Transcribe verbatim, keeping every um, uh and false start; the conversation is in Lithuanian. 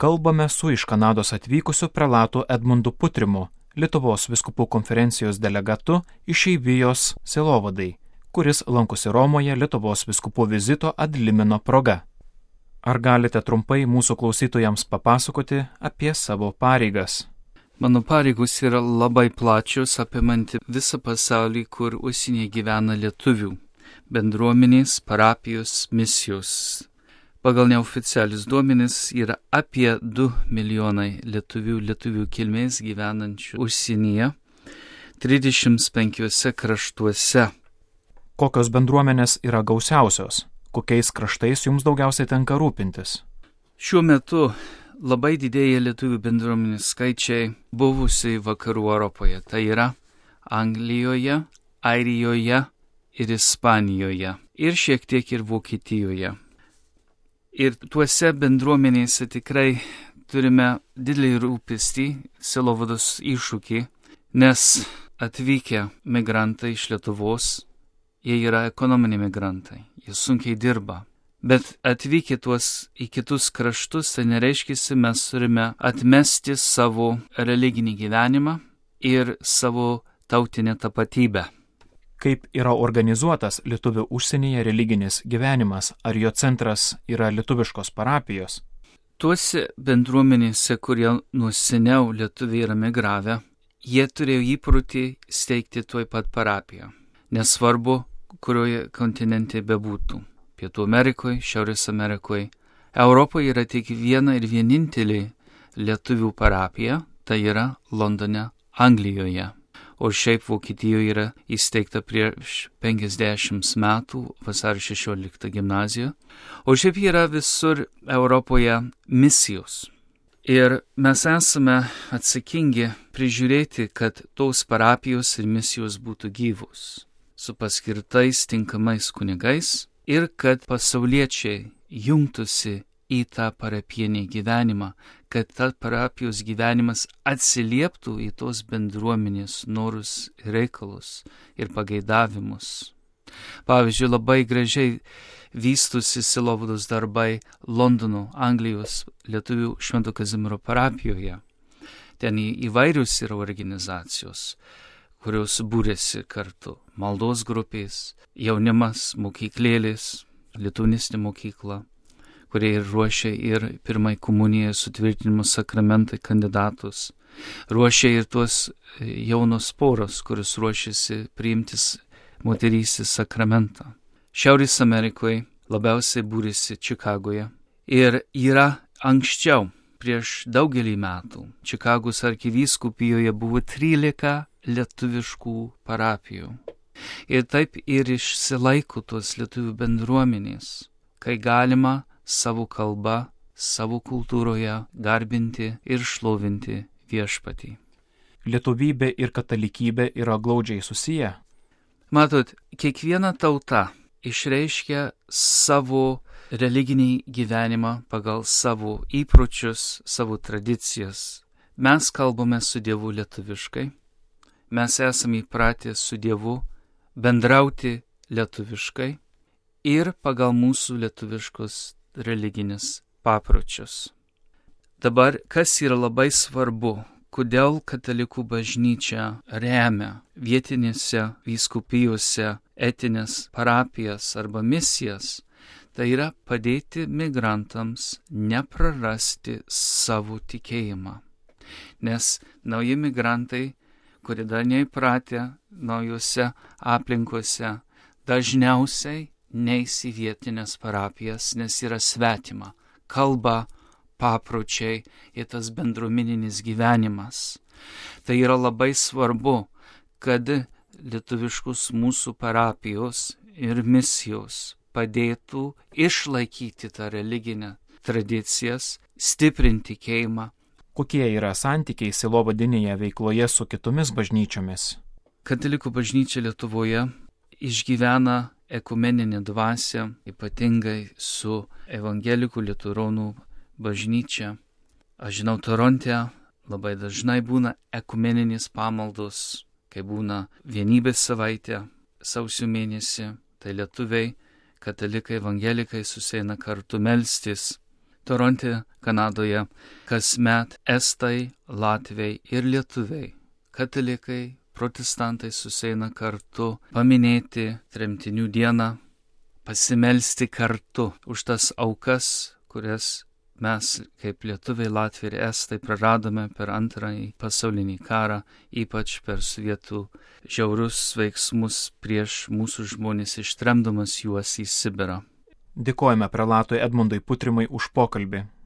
kalbame su iš Kanados atvykusiu prelatu Edmundu Putrimu, Lietuvos vyskupų konferencijos delegatu išeivijos sielovadai, kuris lankosi Romoje Lietuvos vyskupų vizito ad limino proga. Ar galite trumpai mūsų klausytojams papasakoti apie savo pareigas? Mano pareigos yra labai plačios, apimanti visą pasaulį, kur užsienyje gyvena lietuvių, bendruomenės, parapijos, misijos. Pagal neoficialius duomenis yra apie du milijonai lietuvių, lietuvių kilmės gyvenančių užsienyje, trisdešimt penkiuose kraštuose. Kokios bendruomenės yra gausiausios? Kokiais kraštais jums daugiausiai tenka rūpintis? Šiuo metu labai didėja lietuvių bendruomenės skaičiai buvusiai vakarų Europoje. Tai yra Anglijoje, Airijoje ir Ispanijoje. Ir šiek tiek ir Vokietijoje. Ir tuose bendruomenėse tikrai turime didelį rūpestį, sielovados iššūkį, nes atvykę migrantai iš Lietuvos, jie yra ekonominiai migrantai, jie sunkiai dirba. Bet atvykę tuos į kitus kraštus, tai nereiškia, mes turime atmesti savo religinį gyvenimą ir savo tautinę tapatybę. Kaip yra organizuotas lietuvių užsienyje religinis gyvenimas? Ar jo centras yra lietuviškos parapijos? Tuose bendruomenėse, kurie nuo seniau lietuviai yra migravę, jie turėjo įprotį steigti tuoj pat parapiją. Nesvarbu, kurioje kontinente bebūtų. Pietų Amerikoje, Šiaurės Amerikoje. Europoje yra tik viena ir vienintelė lietuvių parapija, tai yra Londone, Anglijoje. O šiaip Vokietijoje yra įsteigta prieš penkiasdešimt metų vasario šešioliktą gimnaziją. O šiaip yra visur Europoje misijos. Ir mes esame atsakingi prižiūrėti, kad tos parapijos ir misijos būtų gyvos, su paskirtais tinkamais kunigais ir kad pasauliečiai jungtųsi į tą parapinį gyvenimą, kad ta parapijos gyvenimas atsilieptų į tos bendruomenės norus, reikalus ir pageidavimus. Pavyzdžiui, labai gražiai vystosi sielovados darbai Londono, Anglijos lietuvių Švento Kazimiero parapijoje. Ten įvairius yra organizacijos, kurios būrėsi kartu. Maldos grupės, jaunimas, mokyklėlės, lietuvinistinė mokykla, kurie ir ruošia ir pirmai komuniją sutvirtinimo sakramentai kandidatus. Ruošia ir tuos jaunos poros, kuris ruošiasi priimtis moterystės sakramentą. Šiaurės Amerikoje labiausiai būrėsi Čikagoje. Ir yra anksčiau, prieš daugelį metų, Čikagos arkivyskupijoje buvo trylika lietuviškų parapijų. Ir taip ir išsilaiko tos lietuvių bendruomenės, kai galima savo kalbą, savo kultūroje garbinti ir šlovinti viešpatį. Lietuvybė ir katalikybė yra glaudžiai susiję. Matot, kiekviena tauta išreiškia savo religinį gyvenimą pagal savo įpročius, savo tradicijas. Mes kalbame su Dievu lietuviškai, mes esame įpratę su Dievu bendrauti lietuviškai ir pagal mūsų lietuviškus religinis papročius. Dabar, kas yra labai svarbu, kodėl katalikų bažnyčia remia vietinėse vyskupijose etinės parapijas arba misijas, tai yra padėti migrantams neprarasti savo tikėjimą. Nes nauji migrantai, kurie dar neįpratę naujose aplinkose, dažniausiai neis į vietinės parapijas, nes yra svetima kalba, papročiai ir tas bendruomeninis gyvenimas. Tai yra labai svarbu, kad lietuviškus mūsų parapijos ir misijos padėtų išlaikyti tą religinę tradicijas, stiprinti tikėjimą. Kokie yra santykiai sielovadinėje veikloje su kitomis bažnyčiomis? Katalikų bažnyčia Lietuvoje išgyvena ekumeninę dvasią, ypatingai su evangelikų liuteronų bažnyčia. Aš žinau, Toronte labai dažnai būna ekumeninis pamaldos, kai būna vienybės savaitė, sausio mėnesį, tai lietuviai, katalikai, evangelikai susieina kartu melstis. Toronte, Kanadoje, kasmet estai, latviai ir lietuviai, katalikai, protestantai susieina kartu paminėti tremtinių dieną, pasimelsti kartu už tas aukas, kurias mes kaip lietuviai, latviai ir estai praradome per antrąjį pasaulinį karą, ypač per sovietų žiaurus veiksmus prieš mūsų žmonės, ištremdamas juos į Sibirą. Dėkojame prelatui Edmundui Putrimui už pokalbį.